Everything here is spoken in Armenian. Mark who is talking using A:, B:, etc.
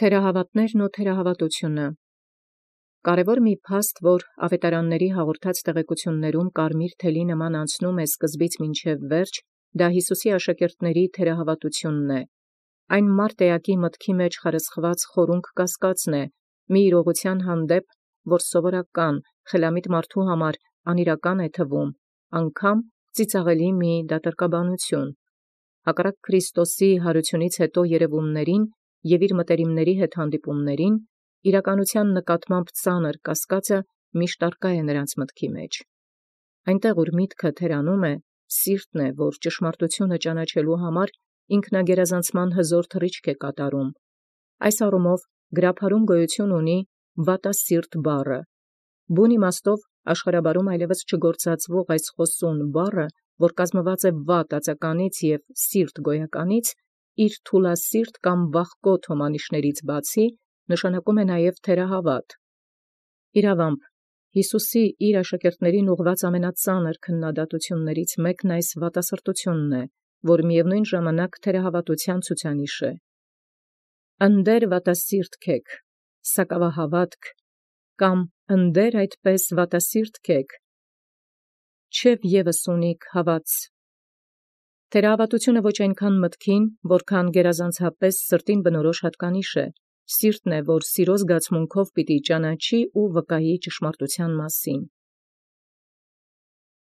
A: Թերահավատներն ու թերահավատությունը։ Կարևոր մի փաստ, որ աւետարանացն հաղորդած տեղեկություններում կարմիր թելի նման անցնում է սկզբից մինչև վերջ, դա Յիսուսի աշակերտների թերահավատությունն է։ Այն մարտեակի մտքի մեջ խարսխված խորունկ կասկածն է, մի իրողութեան հանդեպ, որ սովորական, խելամիտ մարդու համար անիրական է թվում, անգամ ծիծաղելի մի դատարկաբանություն։ Հակառակ Քրիստոսի յարությունից յետո երևումներին և իր մտերիմաց հետ հանդիպումներին, իրականութեան նկատմամբ ծանր կասկածը միշտ արկա է նրանց մտքի մեջ։ Այնտեղ ուր միտքը թերանում է, սիրտն է, որ ճշմարտությունը ճանաչելու համար ինքնագերազանցման հզոր թռիչք է կատարում։ Այս առումով գրաբարում գոյություն ունի վատասիրտ բառը։ Բուն իմաստով աշխարհաբարում այլևս չգործածվող այս խոսուն բառը, որ կազմված է վատ ածականից և սիրտ գոյականից, իր թուլասիրտ կամ վախկոտ հոմանիշներից բացի, նշանակում է նաև թերահավատ։ Իրավամբ, Յիսուսի իր աշակերտներին ուղղված ամենածանր քննադատություններից մեկն այս վատասրտությունն է, որ միևնույն ժամանակ թերահավատութեան ցուցանիշ է։ «Ընդդէր վատասիրտ քէք, սակավահավատք, կամ ընդդէր այդպէս վատասիրտ քէք, չէ'ւ եւս ունիք հաւատս»։ Թերահավատությունը ոչ այնքան մտքին, որքան գերազանցապես սրտին բնորոշ հատկանիշ է, սիրտն է, որ սիրո զգացմունքով պիտի ճանաչի ու վկայի ճշմարտութեան մասին։